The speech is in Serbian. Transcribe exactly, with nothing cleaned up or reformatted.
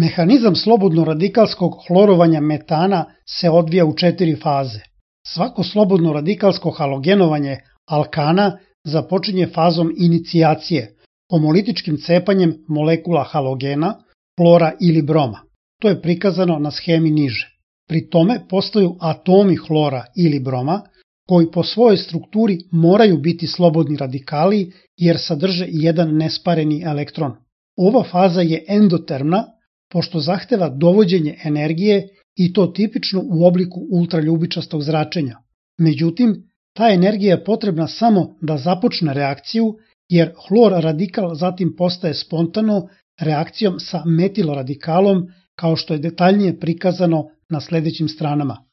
Mehanizam slobodno radikalskog hlorovanja metana se odvija u četiri faze. Svako slobodno radikalsko halogenovanje alkana započinje fazom inicijacije, homolitičkim cepanjem molekula halogena, hlora ili broma. To je prikazano na schemi niže. Pri tome postaju atomi hlora ili broma, koji po svojoj strukturi moraju biti slobodni radikali jer sadrže jedan nespareni elektron. Ova faza je endotermna, pošto zahteva dovođenje energije i to tipično u obliku ultraljubičastog zračenja. Međutim, ta energija je potrebna samo da započne reakciju, jer hlor radikal zatim postaje spontano reakcijom sa metil radikalom, kao što je detaljnije prikazano na sledećim stranama.